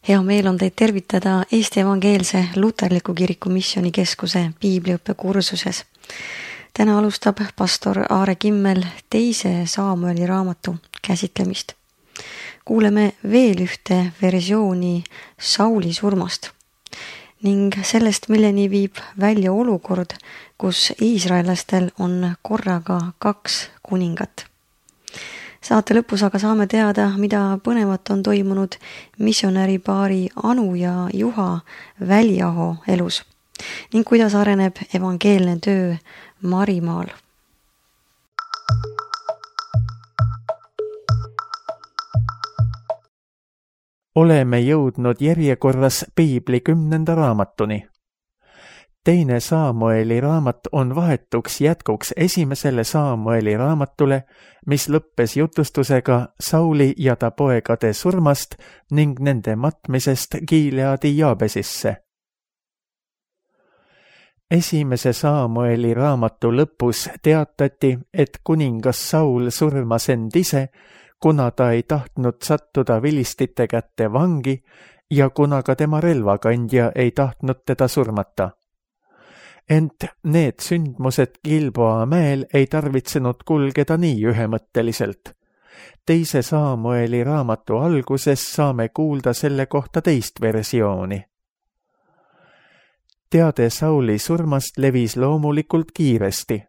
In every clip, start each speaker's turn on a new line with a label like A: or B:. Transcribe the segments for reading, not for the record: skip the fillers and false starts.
A: Hea meel on teid tervitada Eesti Evangeelse Luterliku Kiriku Missioonikeskuse piibliõppekursuses. Täna alustab pastor Aare Kimmel 2. Saamueli raamatu käsitlemist. Kuuleme veel ühte versiooni Sauli surmast ning sellest, milleni viib välja olukord, kus iisraellastel on korraga 2 kuningat. Saate lõpus aga saame teada, mida põnevat on toimunud missionäripaari Anu ja Juha Väliaho elus ning kuidas areneb evangeelne töö Marimaal.
B: Oleme jõudnud järjekorras piibli 10. raamatuni. 2. Saamueli raamat on vahetuks jätkuks 1. Saamueli raamatule, mis lõppes jutustusega Sauli ja ta poegade surmast ning nende matmisest Gileadi Jaabesisse. 1. Saamueli raamatu lõpus teatati, et kuningas Saul surmas end ise, kuna ta ei tahtnud sattuda vilistite kätte vangi ja kuna ka tema relvakandja ei tahtnud teda surmata. Ent need sündmused Gilboa mäel ei tarvitsenud kulgeda nii ühemõtteliselt. 2. Saamueli raamatu alguses saame kuulda selle kohta teist versiooni. Teade Sauli surmast levis loomulikult kiiresti.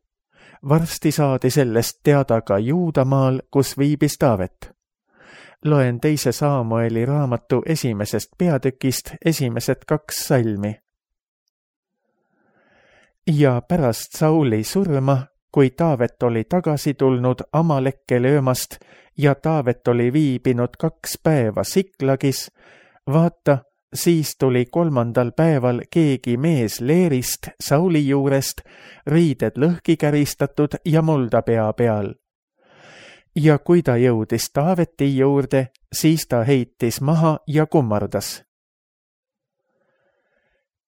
B: Varsti saadi sellest teada ka Juudamaal, kus viibis Taavet. Loen 2. Saamueli raamatu 1. peatükist esimesed 2 salmi. Ja pärast Sauli surma, kui Taavet oli tagasi tulnud Amalekke löömast ja Taavet oli viibinud 2 päeva Siklagis, vaata, siis tuli 3. päeval keegi mees leerist Sauli juurest, riided lõhki käristatud ja mulda pea peal. Ja kui ta jõudis Taaveti juurde, siis ta heitis maha ja kummardas.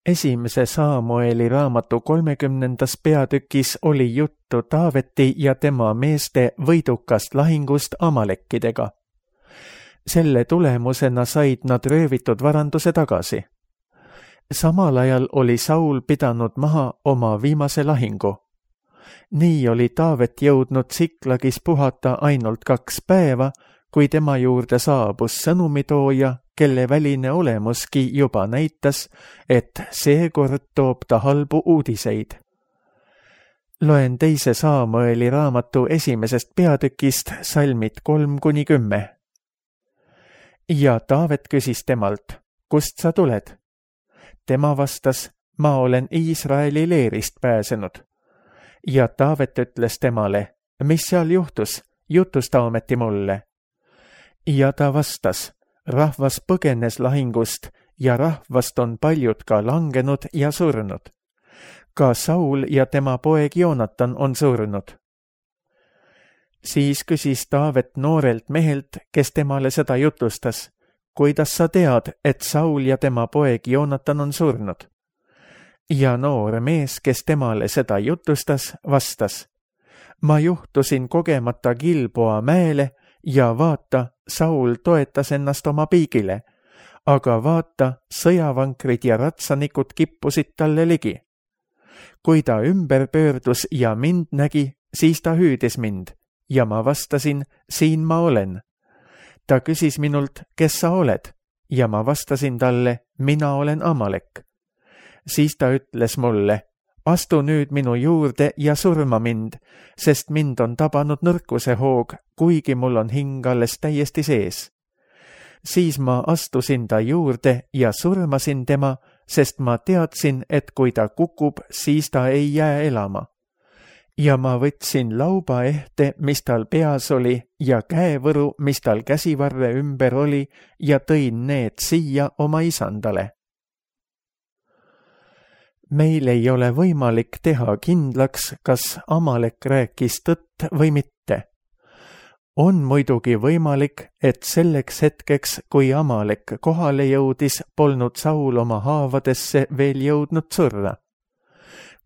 B: 1. Saamueli raamatu 30. peatükis oli juttu Taaveti ja tema meeste võidukast lahingust Amalekkidega. Selle tulemusena said nad röövitud varanduse tagasi. Samal ajal oli Saul pidanud maha oma viimase lahingu. Nii oli Taavet jõudnud Siklagis puhata ainult 2 päeva, kui tema juurde saabus sõnumitooja, kelle väline olemuski juba näitas, et seekord toob ta halbu uudiseid. Loen 2. Saamueli raamatu 1. peatükist salmid 3-10. Ja Taavet küsis temalt, kust sa tuled? Tema vastas, ma olen Iisraeli leerist pääsenud. Ja Taavet ütles temale, mis seal juhtus, jutusta ometi mulle. Ja ta vastas, rahvas põgenes lahingust ja rahvast on paljud ka langenud ja surnud. Ka Saul ja tema poeg Joonatan on surnud. Siis küsis Taavet noorelt mehelt, kes temale seda jutustas, kuidas sa tead, et Saul ja tema poeg Joonatan on surnud? Ja noor mees, kes temale seda jutustas, vastas, ma juhtusin kogemata Gilboa mäele ja vaata, Saul toetas ennast oma piigile, aga vaata, sõjavankrid ja ratsanikud kippusid talle ligi. Kui ta ümber pöördus ja mind nägi, siis ta hüüdis mind ja ma vastasin, siin ma olen. Ta küsis minult, kes sa oled, ja ma vastasin talle, mina olen Amalek. Siis ta ütles mulle, astu nüüd minu juurde ja surma mind, sest mind on tabanud nõrkuse hoog, kuigi mul on hing alles täiesti sees. Siis ma astusin ta juurde ja surmasin tema, sest ma teadsin, et kui ta kukub, siis ta ei jää elama. Ja ma võtsin laubaehte, mis tal peas oli, ja käevõru, mis tal käsivarre ümber oli, ja tõin need siia oma isandale. Meil ei ole võimalik teha kindlaks, kas Amalek rääkis tõtt või mitte. On muidugi võimalik, et selleks hetkeks, kui Amalek kohale jõudis, polnud Saul oma haavadesse veel jõudnud surra.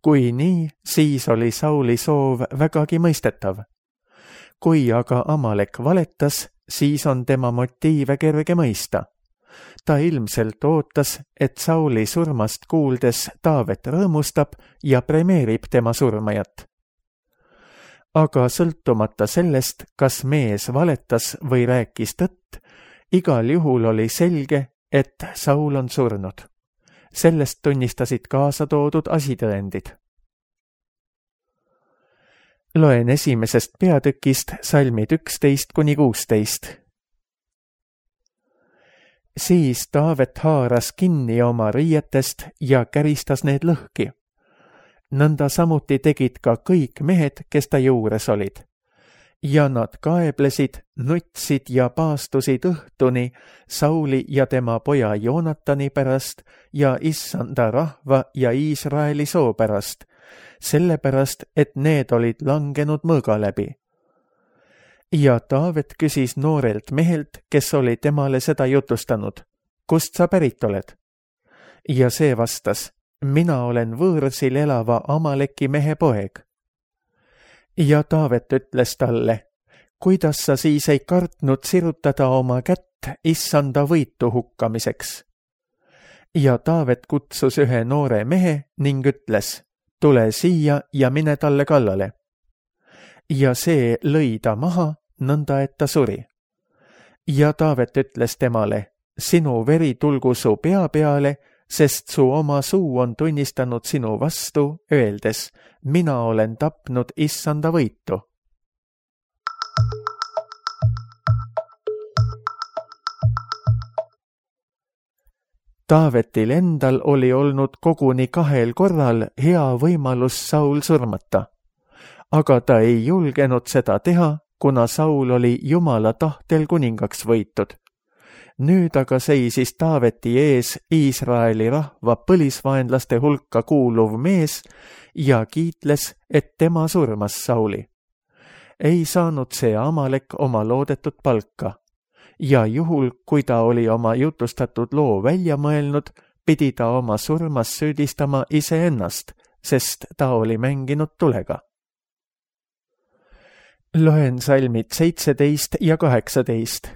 B: Kui nii, siis oli Sauli soov vägagi mõistetav. Kui aga Amalek valetas, siis on tema motiive kerge mõista. Ta ilmselt ootas, et Sauli surmast kuuldes Taavet rõõmustab ja premeerib tema surmajat. Aga sõltumata sellest, kas mees valetas või rääkis tõtt, igal juhul oli selge, et Saul on surnud. Sellest tunnistasid kaasa toodud asitõendid. Loen 1. peatükist salmid 11–16. Siis Taavet haaras kinni oma riietest ja käristas need lõhki. Nõnda samuti tegid ka kõik mehed, kes ta juures olid. Ja nad kaeblesid, nutsid ja paastusid õhtuni Sauli ja tema poja Joonatani pärast ja issanda rahva ja Iisraeli soo pärast, sellepärast, et need olid langenud mõõga läbi. Ja Taavet küsis noorelt mehelt, kes oli temale seda jutustanud, kust sa pärit oled? Ja see vastas, mina olen võõrsil elava Amaleki mehe poeg. Ja Taavet ütles talle, kuidas sa siis ei kartnud sirutada oma kätt issanda võitu hukkamiseks? Ja Taavet kutsus ühe noore mehe ning ütles, tule siia ja mine talle kallale. Ja see lõi ta maha, nõnda et ta suri. Ja Taavet ütles temale, sinu veri tulgu su pea peale, sest su oma suu on tunnistanud sinu vastu, öeldes, mina olen tapnud issanda võitu. Taavetil endal oli olnud koguni 2 korral hea võimalus Saul surmata, aga ta ei julgenud seda teha, kuna Saul oli Jumala tahtel kuningaks võitud. Nüüd aga seisis Taaveti ees Iisraeli rahva põlisvaenlaste hulka kuuluv mees ja kiitles, et tema surmas Sauli. Ei saanud see Amalek oma loodetud palka ja juhul, kui ta oli oma jutustatud loo välja mõelnud, pidi ta oma surmas süüdistama iseennast, sest ta oli mänginud tulega. Loen salmid 17 ja 18.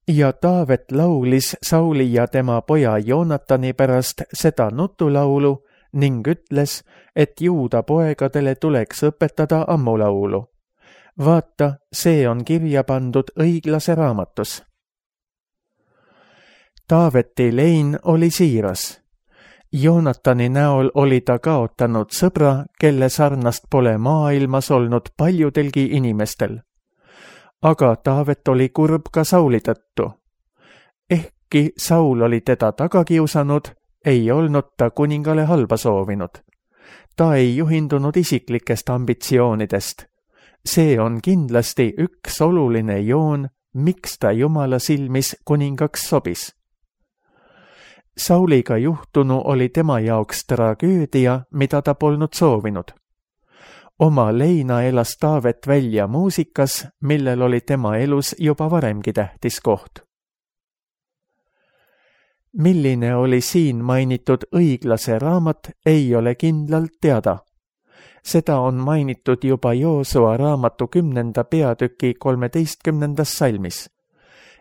B: Ja Taavet laulis Sauli ja tema poja Joonatani pärast seda nutulaulu ning ütles, et juuda poegadele tuleks õpetada ammulaulu. Vaata, see on kirja pandud õiglase raamatus. Taaveti lein oli siiras. Joonatani näol oli ta kaotanud sõbra, kelle sarnast pole maailmas olnud paljudelgi inimestel. Aga Taavet oli kurb ka Sauli tõttu. Ehkki Saul oli teda taga kiusanud, ei olnud ta kuningale halba soovinud. Ta ei juhindunud isiklikest ambitsioonidest. See on kindlasti üks oluline joon, miks ta Jumala silmis kuningaks sobis. Sauliga juhtunu oli tema jaoks tragöödia, mida ta polnud soovinud. Oma leina elas Taavet välja muusikas, millel oli tema elus juba varemgi tähtis koht. Milline oli siin mainitud õiglase raamat, ei ole kindlalt teada. Seda on mainitud juba Joosua raamatu 10. peatüki 13. salmis.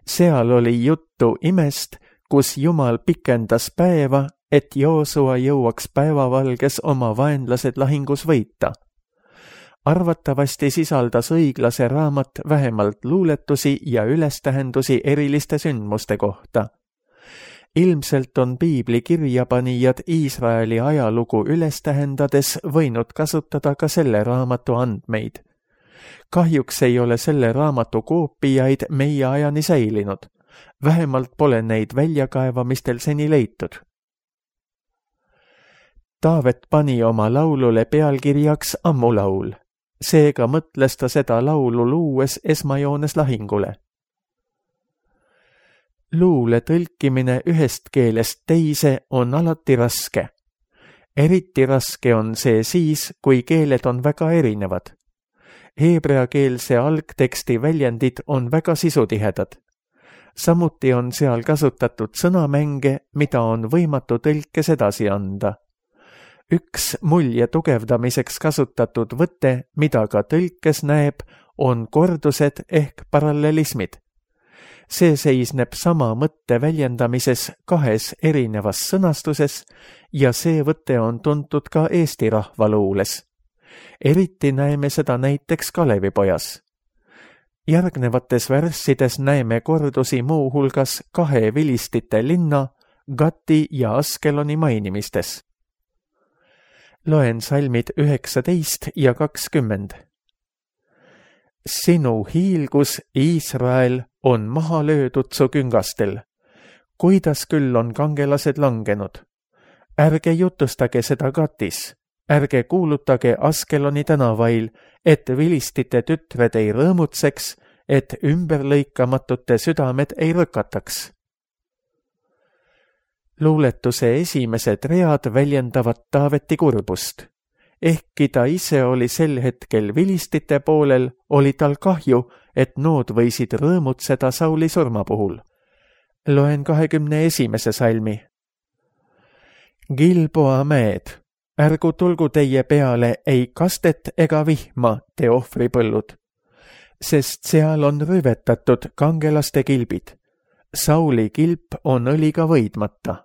B: Seal oli juttu imest, kus Jumal pikendas päeva, et Joosua jõuaks päevavalges oma vaenlased lahingus võita. Arvatavasti sisaldas õiglase raamat vähemalt luuletusi ja ülestähendusi eriliste sündmuste kohta. Ilmselt on piibli kirjapanijad Iisraeli ajalugu ülestähendades võinud kasutada ka selle raamatu andmeid. Kahjuks ei ole selle raamatu koopiaid meie ajani säilinud. Vähemalt pole neid väljakaevamistel seni leitud. Taavet pani oma laulule pealkirjaks ammulaul. Seega mõtles ta seda laulu luues esmajoones lahingule. Luule tõlkimine ühest keelest teise on alati raske. Eriti raske on see siis, kui keeled on väga erinevad. Heebreakeelse algteksti väljendid on väga sisutihedad. Samuti on seal kasutatud sõnamänge, mida on võimatu tõlkes edasi anda. Üks mulje tugevdamiseks kasutatud võte, mida ka tõlkes näeb, on kordused ehk parallelismid. See seisneb sama mõtte väljendamises 2 erinevas sõnastuses ja see võte on tuntud ka Eesti rahvaluules. Eriti näeme seda näiteks Kalevipojas. Järgnevates värssides näeme kordusi muuhulgas 2 vilistite linna, Gati ja Askeloni mainimistes. Loen salmid 19 ja 20. Sinu hiilgus, Iisrael, on maha löödud su küngastel. Kuidas küll on kangelased langenud? Ärge jutustage seda Gatis, ärge kuulutage Askeloni tänavail, et vilistite tütred ei rõõmutseks, et ümberlõikamatute südamed ei rõkataks. Luuletuse esimesed read väljendavad Taaveti kurbust. Ehkki ta ise oli sel hetkel vilistite poolel, oli tal kahju, et nood võisid rõõmutseda Sauli surma puhul. Loen 21. salmi. Gilboa mäed, ärgu tulgu teie peale ei kastet ega vihma, te ohvripõllud, sest seal on rüvetatud kangelaste kilbid. Sauli kilp on õliga võidmata.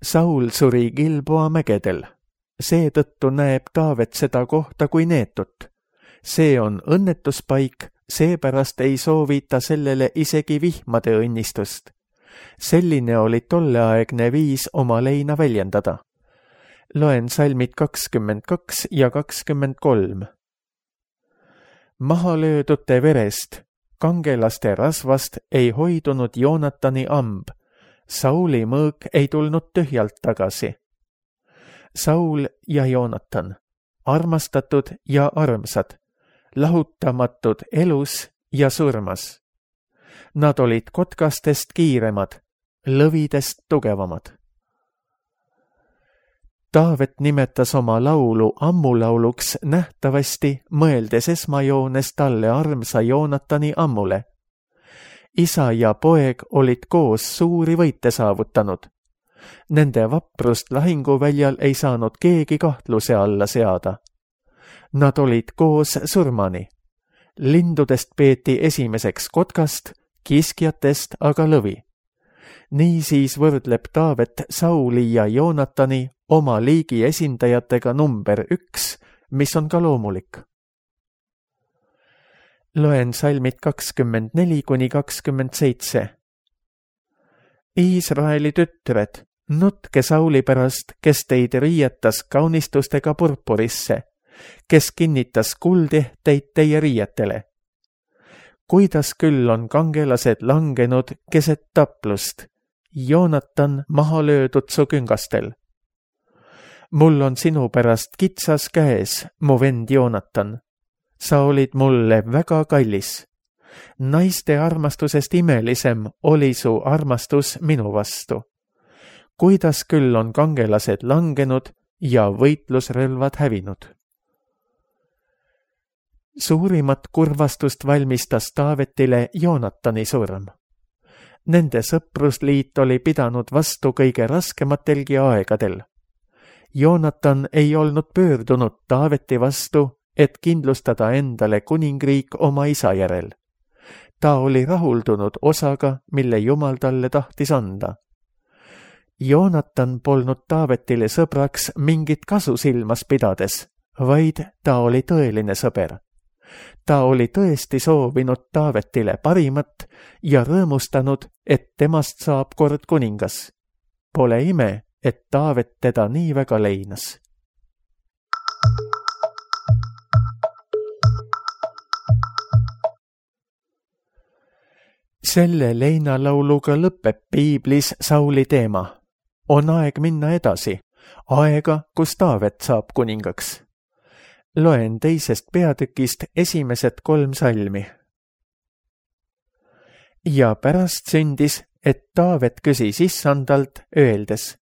B: Saul suri Gilboa mägedel. Seetõttu näeb Taavet seda kohta kui neetut. See on õnnetuspaik, seepärast ei soovi ta sellele isegi vihmade õnnistust. Selline oli tolleaegne viis oma leina väljendada. Loen salmid 22 ja 23. Maha löödute verest, kangelaste rasvast ei hoidunud Joonatani amb. Sauli mõõk ei tulnud tühjalt tagasi. Saul ja Joonatan, armastatud ja armsad, lahutamatud elus ja surmas. Nad olid kotkastest kiiremad, lõvidest tugevamad. Taavet nimetas oma laulu ammulauluks nähtavasti, mõeldes esmajoones talle armsa Joonatani ammule. Isa ja poeg olid koos suuri võite saavutanud. Nende vaprust lahinguväljal ei saanud keegi kahtluse alla seada. Nad olid koos surmani. Lindudest peeti esimeseks kotkast, kiskjatest aga lõvi. Niisiis võrdleb Taavet Sauli ja Joonatani oma liigi esindajatega number 1, mis on ka loomulik. Loen salmid 24–27. Iisraeli tütred, nutke Sauli pärast, kes teid riietas kaunistustega purpurisse, kes kinnitas kuldehteid teie riietele. Kuidas küll on kangelased langenud keset taplust, Joonatan maha löödud su küngastel. Mul on sinu pärast kitsas käes, mu vend Joonatan. Sa olid mulle väga kallis. Naiste armastusest imelisem oli su armastus minu vastu. Kuidas küll on kangelased langenud ja võitlusrelvad hävinud. Suurimat kurvastust valmistas Taavetile Joonatani surm. Nende sõprusliit oli pidanud vastu kõige raskematelgi aegadel. Joonatan ei olnud pöördunud Taaveti vastu, et kindlustada endale kuningriik oma isa järel. Ta oli rahuldunud osaga, mille Jumal talle tahtis anda. Joonatan polnud Taavetile sõbraks mingit kasu silmas pidades, vaid ta oli tõeline sõber. Ta oli tõesti soovinud Taavetile parimat ja rõõmustanud, et temast saab kord kuningas. Pole ime, et Taavet teda nii väga leinas. Selle leinalauluga lõpeb piiblis Sauli teema. On aeg minna edasi, aega, kus Taavet saab kuningaks. Loen 2. peatükist esimesed 3 salmi. Ja pärast sündis, et Taavet küsis issandalt, öeldes,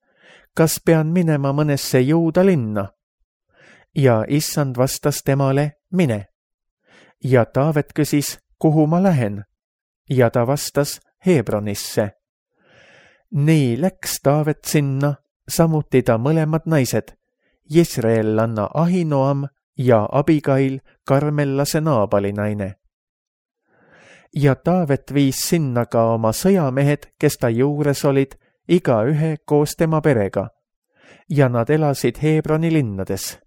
B: kas pean minema mõnesse Juuda linna? Ja issand vastas temale, mine. Ja Taavet küsis, kuhu ma lähen? Ja ta vastas, Hebronisse. Nii läks Taavet sinna, samuti ta mõlemad naised, Jesreellanna Ahinoam ja Abigail, Karmellase Naabali naine. ja Taavet viis sinna ka oma sõjamehed, kes ta juures olid, igaühe koos tema perega, ja nad elasid Hebroni linnades.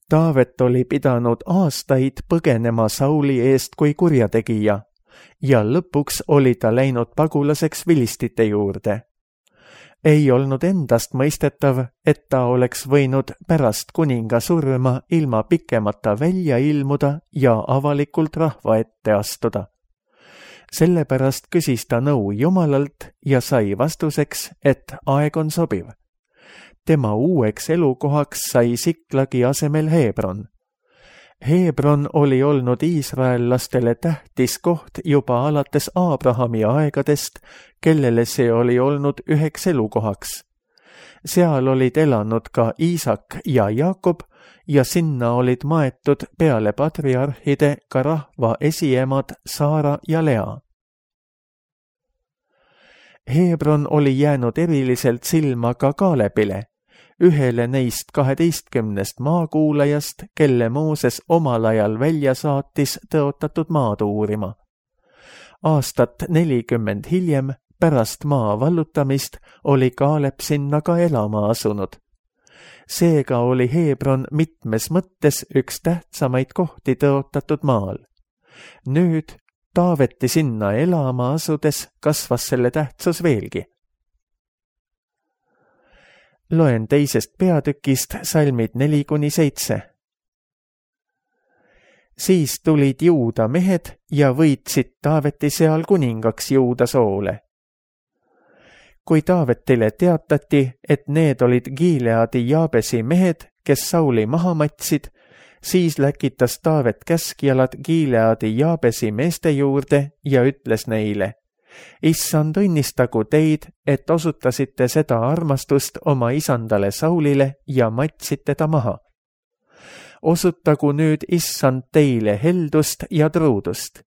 B: Taavet oli pidanud aastaid põgenema Sauli eest kui kurjategija ja lõpuks oli ta läinud pagulaseks vilistite juurde. Ei olnud endast mõistetav, et ta oleks võinud pärast kuninga surma ilma pikemata välja ilmuda ja avalikult rahva ette astuda. Sellepärast küsis ta nõu Jumalalt ja sai vastuseks, et aeg on sobiv. Tema uueks elukohaks sai Siklagi asemel Hebron. Hebron oli olnud iisraellastele tähtis koht juba alates Abrahami aegadest, kellele see oli olnud üheks elukohaks. Seal olid elanud ka Iisak ja Jaakob ja sinna olid maetud peale patriarhide ka rahva esiemad Saara ja Lea. Hebron oli jäänud eriliselt silma ka Kaalebile, ühele neist 12 maakuulajast, kelle Mooses omal ajal välja saatis tõotatud maad uurima. Aastat 40 hiljem, pärast maa vallutamist, oli Kaaleb sinna ka elama asunud. Seega oli Hebron mitmes mõttes üks tähtsamaid kohti tõotatud maal. Nüüd Taaveti sinna elama asudes kasvas selle tähtsus veelgi. Loen 2. peatükist salmid 4-7. Siis tulid Juuda mehed ja võitsid Taaveti seal kuningaks Juuda soole. Kui Taavetile teatati, et need olid Gileadi Jaabesi mehed, kes Sauli maha matsid, siis läkitas Taavet käskjalad Gileadi Jaabesi meeste juurde ja ütles neile: Issand õnnistagu teid, et osutasite seda armastust oma isandale Saulile ja matsite ta maha. Osutagu nüüd Issand teile heldust ja truudust.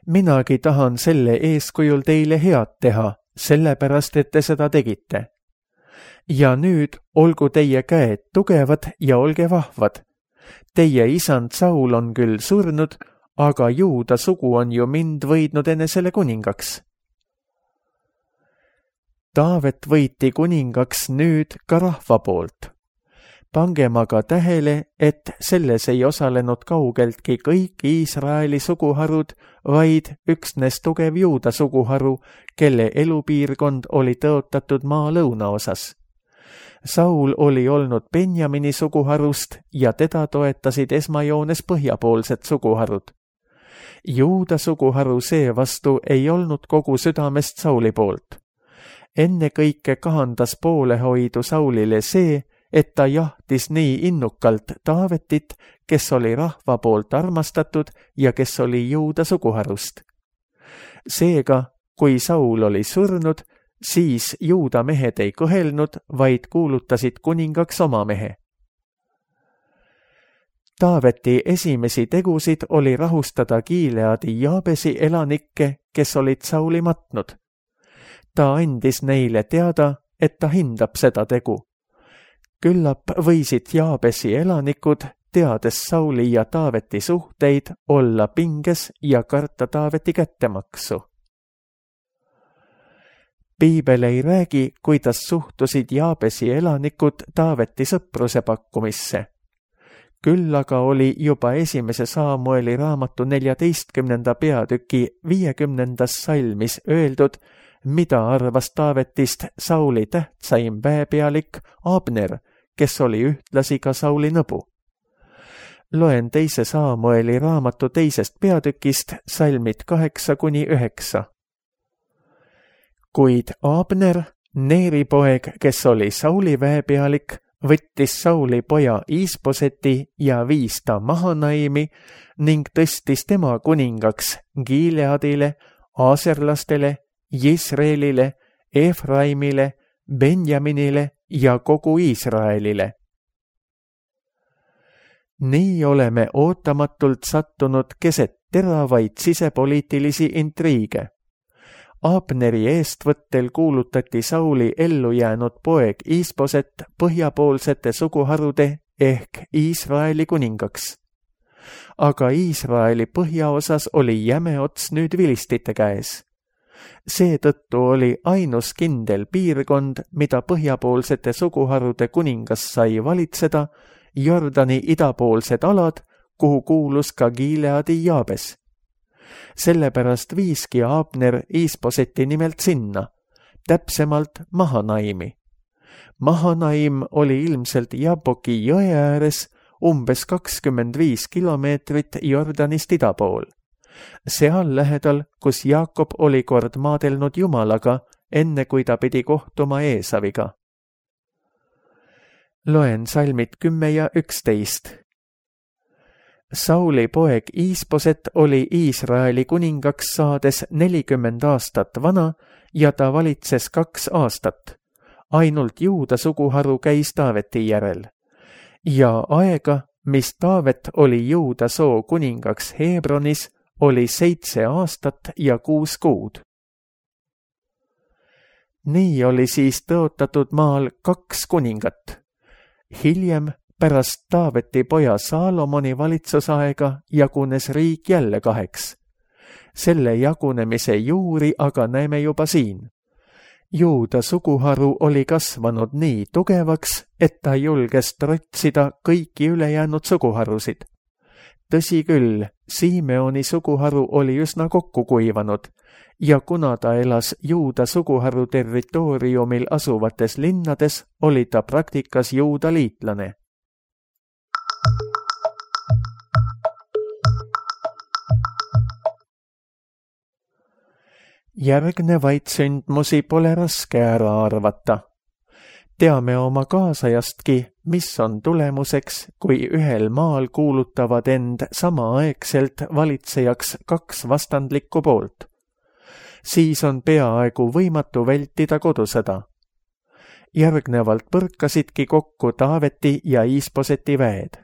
B: Minagi tahan selle eeskujul teile head teha, sellepärast, et te seda tegite. Ja nüüd olgu teie käed tugevad ja olge vahvad. Teie isand Saul on küll surnud, aga Juuda sugu on ju mind võidnud enesele kuningaks. Taavet võiti kuningaks nüüd ka rahva poolt. Pangem aga tähele, et selles ei osalenud kaugeltki kõik Iisraeli suguharud, vaid üksnes tugev Juuda suguharu, kelle elupiirkond oli tõotatud maa lõunaosas. Saul oli olnud Benjamini suguharust ja teda toetasid esmajoones põhjapoolsed suguharud. Juuda suguharu seevastu ei olnud kogu südamest Sauli poolt. Ennekõike kahandas poolehoidu Saulile see, et ta jahtis nii innukalt Taavetit, kes oli rahva poolt armastatud ja kes oli Juuda suguharust. Seega, kui Saul oli surnud, siis Juuda mehed ei kõhelnud, vaid kuulutasid kuningaks oma mehe. Taaveti esimesi tegusid oli rahustada Gileadi Jaabesi elanikke, kes olid Sauli matnud. Ta andis neile teada, et ta hindab seda tegu. Küllap võisid Jaabesi elanikud, teades Sauli ja Taaveti suhteid, olla pinges ja karta Taaveti kättemaksu. Piibel ei räägi, kuidas suhtusid Jaabesi elanikud Taaveti sõpruse pakkumisse. Küll aga oli juba 1. Saamueli raamatu 14. peatüki 50. salmis öeldud, mida arvas Taavetist Sauli tähtsaim väepealik Abner, kes oli ühtlasi ka Sauli nõbu. Loen 2. Saamueli raamatu 2. peatükist salmid 8-9. Kuid Abner, Neeri poeg, kes oli Sauli väepealik, võttis Sauli poja Iisboseti ja viis ta Mahanaimi ning tõstis tema kuningaks Gileadile, Aaserlastele, Jisreelile, Efraimile, Benjaminile ja kogu Iisraelile. Nii oleme ootamatult sattunud keset teravaid sisepoliitilisi intriige. Abneri eestvõttel kuulutati Sauli ellu jäänud poeg Iisboset põhjapoolsete suguharude ehk Iisraeli kuningaks. aga Iisraeli põhjaosas oli jäme ots nüüd vilistite käes. Seetõttu oli ainus kindel piirkond, mida põhjapoolsete suguharude kuningas sai valitseda, Jordani idapoolsed alad, kuhu kuulus ka Gileadi Jaabes. Sellepärast viiski Abner Iisboseti nimelt sinna, täpsemalt Mahanaimi. Mahanaim oli ilmselt Jaboki jõe ääres umbes 25 kilomeetrit Jordanist ida pool. Seal lähedal, kus Jaakob oli kord maadelnud Jumalaga, enne kui ta pidi kohtuma Eesaviga. Loen salmid 10 ja 11. Sauli poeg Iisboset oli Iisraeli kuningaks saades 40 aastat vana ja ta valitses 2 aastat. Ainult Juuda suguharu käis Taaveti järel. Ja aega, mis Taavet oli Juuda soo kuningaks Hebronis, oli 7 aastat ja 6 kuud. Nii oli siis tõotatud maal 2 kuningat. Hiljem, pärast Taaveti poja Saalomoni valitsusaega, jagunes riik jälle 2. Selle jagunemise juuri aga näeme juba siin. Juuda suguharu oli kasvanud nii tugevaks, et ta julges trotsida kõiki ülejäänud suguharusid. Tõsi küll, Simeoni suguharu oli üsna kokku kuivanud ja kuna ta elas Juuda suguharu territooriumil asuvates linnades, oli ta praktikas Juuda liitlane. Järgnevaid sündmusi pole raske ära arvata. Teame oma kaasajastki, mis on tulemuseks, kui ühel maal kuulutavad end samaaegselt valitsejaks 2 vastandlikku poolt. Siis on peaaegu võimatu vältida kodusõda. Järgnevalt põrkasidki kokku Taaveti ja Iisboseti väed.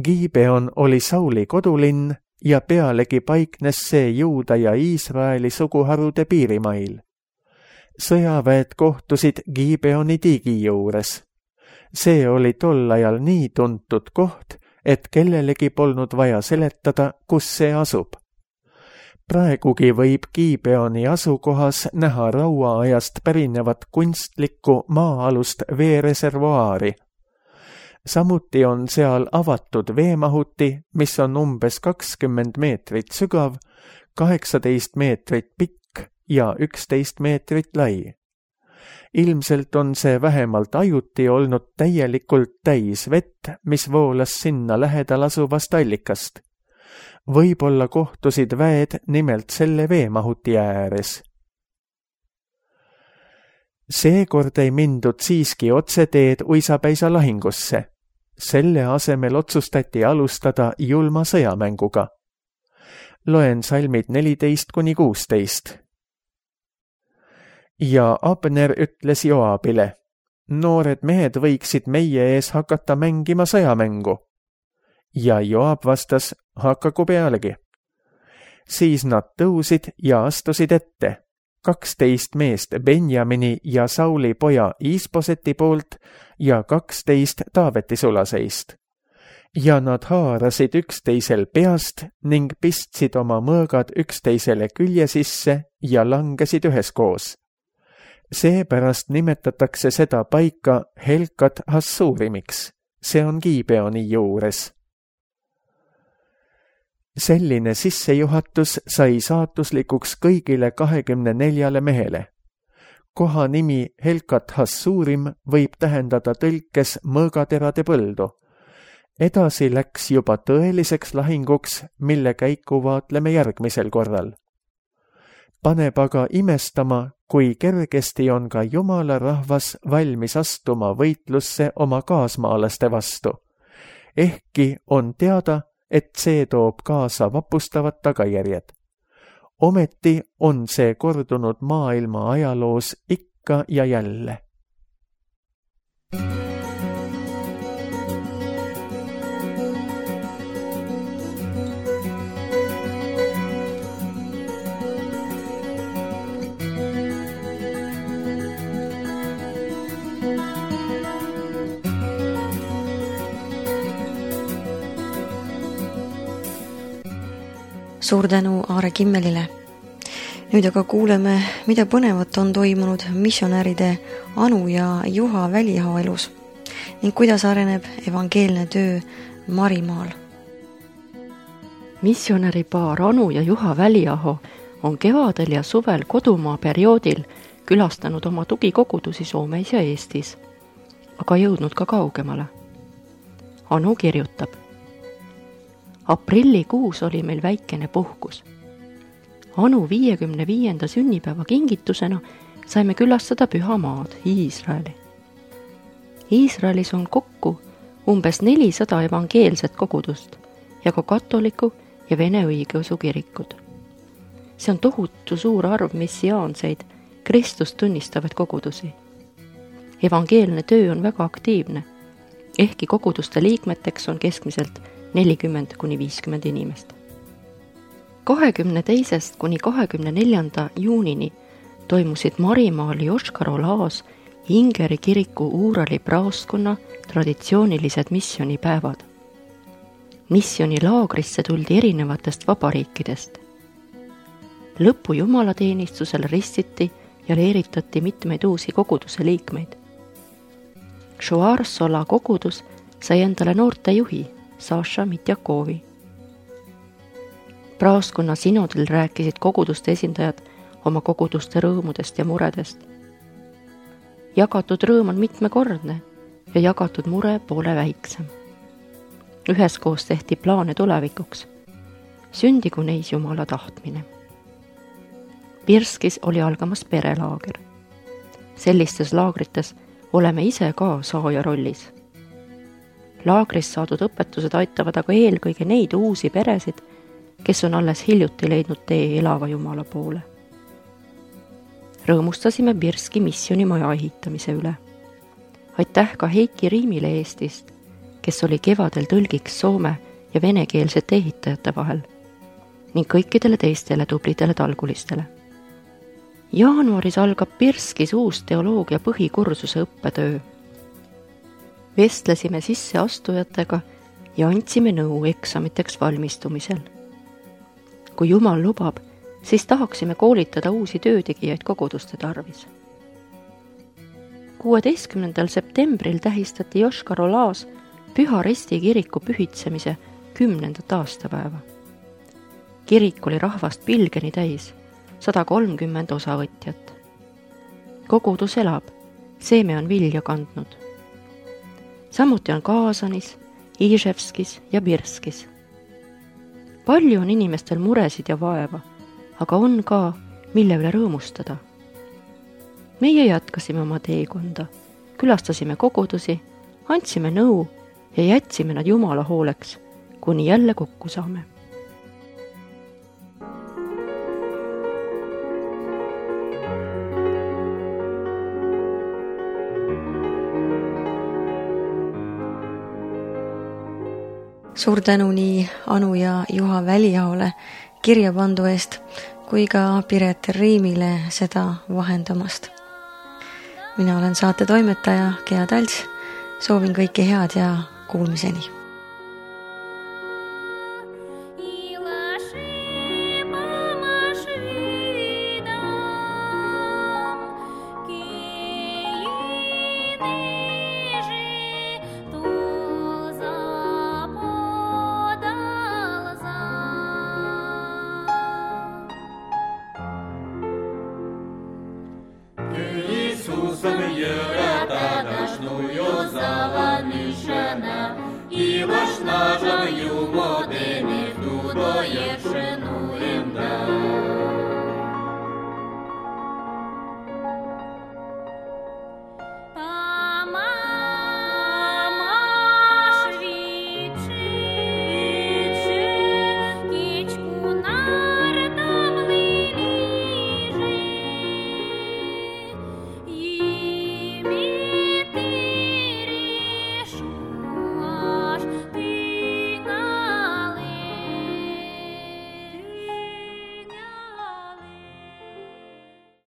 B: Gibeon oli Sauli kodulinn ja pealegi paiknes see Juuda ja Iisraeli suguharude piirimail. Sõjaväed kohtusid Gibeoni tiigi juures. See oli tol ajal nii tuntud koht, et kellelegi polnud vaja seletada, kus see asub. Praegugi võib Gibeoni asukohas näha rauaajast pärinevat kunstlikku maa-alust veereservuaari. Samuti on seal avatud veemahuti, mis on umbes 20 meetrit sügav, 18 meetrit pikk ja 11 meetrit lai. Ilmselt on see vähemalt ajuti olnud täielikult täis vett, mis voolas sinna lähedal asuvast allikast. Võib-olla kohtusid väed nimelt selle veemahuti ääres. Seekord ei mindud siiski otseteed uisapäisa lahingusse. Selle asemel otsustati alustada julma sõjamänguga. Loen salmid 14-16. Ja Abner ütles Joabile, noored mehed võiksid meie ees hakata mängima sõjamängu. Ja Joab vastas, hakaku pealegi. Siis nad tõusid ja astusid ette, 12 meest Benjamini ja Sauli poja Iisboseti poolt ja 12 Taaveti sulaseist. Ja nad haarasid üksteisel peast ning pistsid oma mõõgad üksteisele külje sisse ja langesid üheskoos. Seepärast nimetatakse seda paika Helkat Hassurimiks. See on Gibeoni juures. Selline sissejuhatus sai saatuslikuks kõigile 24 mehele. Koha nimi Helkat Hassurim võib tähendada tõlkes mõõgaterade põldu. Edasi läks juba tõeliseks lahinguks, mille käiku vaatleme järgmisel korral. Paneb aga imestama, kui kergesti on ka Jumala rahvas valmis astuma võitlusse oma kaasmaalaste vastu. Ehkki on teada, et see toob kaasa vapustavad tagajärjed. Ometi on see kordunud maailma ajaloos ikka ja jälle.
A: Suur tänu Aare Kimmelile. Nüüd aga kuuleme, mida põnevat on toimunud missionäride Anu ja Juha Väliaho elus ning kuidas areneb evangeelne töö Marimaal.
C: Missionäripaar Anu ja Juha Väliaho on kevadel ja suvel kodumaa perioodil külastanud oma tugikogudusi Soomes ja Eestis, aga jõudnud ka kaugemale. Anu kirjutab: aprillikuus oli meil väikene puhkus. Anu 55. sünnipäeva kingitusena saime külastada Pühamaad, Iisraeli. Iisraelis on kokku umbes 400 evangeelset kogudust ja ka katoliku ja vene õigeusu kirikud. See on tohutu suur arv missiaanseid, Kristust tunnistavaid kogudusi. Evangeelne töö on väga aktiivne, ehkki koguduste liikmeteks on keskmiselt 40–50 inimest. 22. kuni 24. juunini toimusid Marimaal Joškar-Olaas Ingeri kiriku Uurali praoskonna traditsioonilised missionipäevad. Missionilaagrisse tuldi erinevatest vabariikidest. Lõpu jumalateenistusel ristiti ja leeritati mitmeid uusi koguduse liikmeid. Šoarsola kogudus sai endale noorte juhi Saša Mitjakovi. Praoskonna sinodil rääkisid koguduste esindajad oma koguduste rõõmudest ja muredest. Jagatud rõõm on mitmekordne ja jagatud mure poole väiksem. Üheskoos tehti plaane tulevikuks. Sündigu neis Jumala tahtmine. Pirskis oli algamas perelaager. Sellistes laagrites oleme ise ka saaja rollis. Laagris saadud õpetused aitavad aga eelkõige neid uusi peresid, kes on alles hiljuti leidnud tee elava Jumala poole. Rõõmustasime Pirski missionimaja ehitamise üle. Aitäh ka Heiki Riimile Eestist, kes oli kevadel tõlgiks soome ja venekeelsete ehitajate vahel ning kõikidele teistele tublidele talgulistele. Jaanuaris algab Pirskis uus teoloogia põhikursuse õppetöö. Vestlesime sisseastujatega ja andsime nõu eksamiteks valmistumisel. Kui Jumal lubab, siis tahaksime koolitada uusi töötegijaid koguduste tarvis. 16. septembril tähistati Joškar-Olaas Püha Resti kiriku pühitsemise 10. aastapäeva. Kirik oli rahvast pilgeni täis, 130 osavõtjat. Kogudus elab, seeme on vilja kandnud. Samuti on Kaasanis, Iževskis ja Pirskis. Palju on inimestel muresid ja vaeva, aga on ka, mille üle rõõmustada. Meie jätkasime oma teekonda, külastasime kogudusi, andsime nõu ja jätsime nad Jumala hooleks, kuni jälle kokku saame.
A: Suur tänu nii Anu ja Juha Väliahole kirjapandu eest kui ka Piret Riimile seda vahendamast. Mina olen saate toimetaja Gea Talts, soovin kõike head ja kuulmiseni.
D: И ваш нажем юмор